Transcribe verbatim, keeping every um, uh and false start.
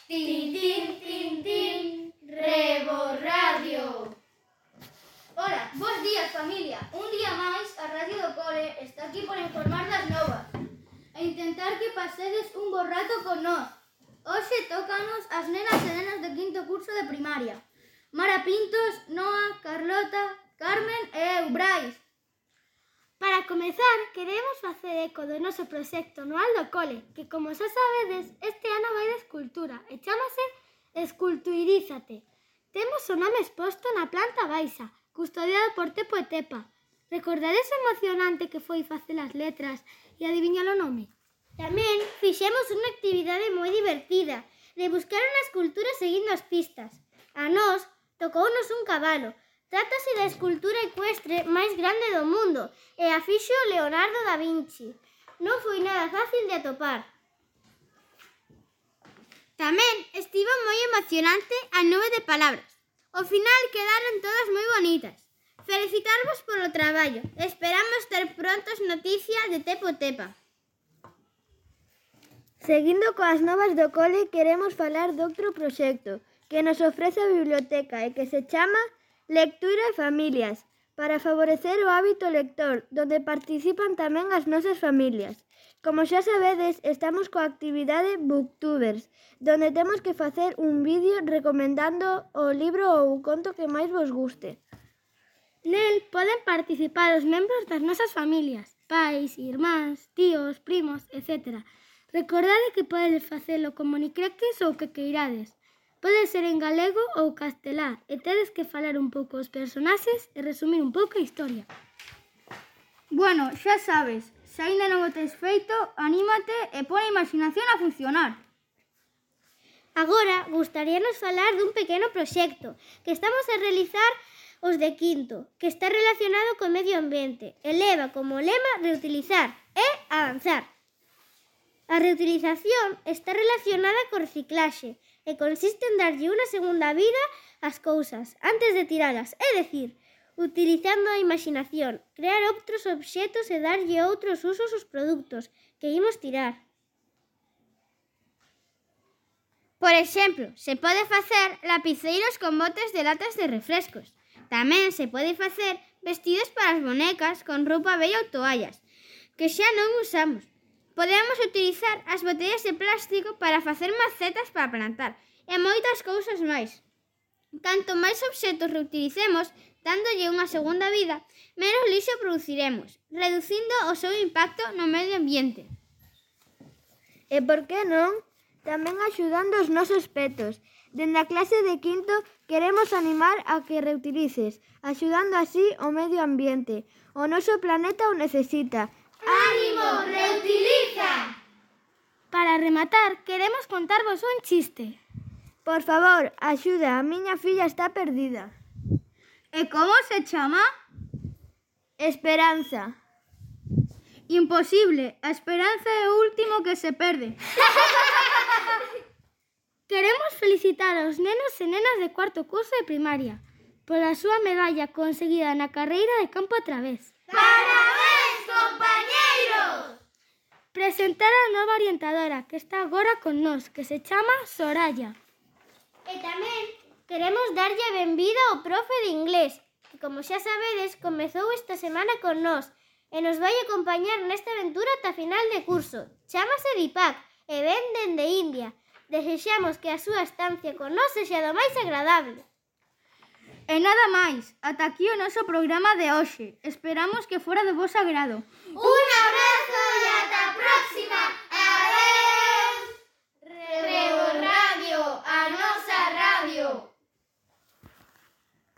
Tin, tin, tin, tin, Rebo Radio. Ola, bons días, familia. Un día máis, a Radio do Cole está aquí por informar das novas e intentar que pasedes un bo rato con nós. Hoxe tócanos as nenas e nenas de quinto curso de primaria. Mara Pintos, Noa, Carlota, Carmen e eu, Brais. Para comezar, queremos facer eco do noso proxecto anual do cole, que, como xa sabedes, este ano vai de escultura e chámase Esculturízate. Temos o nome exposto na planta baixa, custodiado por Tepo e Tepa. Recordades o emocionante que foi facer as letras e adiviñar o nome? Tamén fixemos unha actividade moi divertida, de buscar unha escultura seguindo as pistas. A nós tocounos un cabalo. Trátase da escultura ecuestre máis grande do mundo e a fixo Leonardo da Vinci. Non foi nada fácil de atopar. Tamén estivo moi emocionante a nube de palabras. Ao final quedaron todas moi bonitas. Felicitarvos polo traballo. Esperamos ter prontos noticias de Tepo Tepa. Seguindo coas novas do cole, queremos falar doutro proxecto que nos ofrece a biblioteca e que se chama Lectura e Familias, para favorecer o hábito lector, donde participan tamén as nosas familias. Como xa sabedes, estamos coa actividade Booktubers, donde temos que facer un vídeo recomendando o libro ou o conto que máis vos guste. Nel poden participar os membros das nosas familias, pais, irmáns, tíos, primos, etcétera. Recordade que podedes facelo como nicreques ou que queirades. Pode ser en galego ou castelá e tedes que falar un pouco os personaxes e resumir un pouco a historia. Bueno, xa sabes, se aínda non o tes feito, anímate e pon a imaginación a funcionar. Agora, gustaríanos falar dun pequeno proxecto que estamos a realizar os de quinto, que está relacionado co medio ambiente e leva como lema reutilizar e avanzar. A reutilización está relacionada co reciclaxe e consiste en darlle unha segunda vida ás cousas antes de tiralas, é dicir, utilizando a imaginación, crear outros obxetos e darlle outros usos aos produtos que imos tirar. Por exemplo, se pode facer lapiceiros con botes de latas de refrescos. Tamén se pode facer vestidos para as bonecas con roupa bella ou toallas, que xa non usamos. Podemos utilizar as botellas de plástico para facer macetas para plantar e moitas cousas máis. Canto máis obxetos reutilicemos, dándolle unha segunda vida, menos lixo produciremos, reducindo o seu impacto no medio ambiente. E por que non? Tamén axudando os nosos petos. Dende a clase de quinto queremos animar a que reutilices, axudando así o medio ambiente. O noso planeta o necesita. ¡Ánimo, reutiliza! Para rematar, queremos contarvos un chiste. Por favor, axuda, a miña filla está perdida. E como se chama? Esperanza. Imposible, a esperanza é o último que se perde. Queremos felicitar aos nenos e nenas de cuarto curso de primaria pola súa medalla conseguida na carreira de campo a través. ¡Parabéns, compañeiros! Presentar a nova orientadora que está agora con nós, que se chama Soraya. E tamén queremos darlle a benvida ao profe de inglés, que, como xa sabedes, comezou esta semana con nós e nos vai acompañar nesta aventura ata final de curso. Chámase Deepak e ven dende India. Desexamos que a súa estancia con nós sexa do máis agradable. E nada máis, ata aquí o noso programa de hoxe. Esperamos que fora de vos agrado. ¡Unha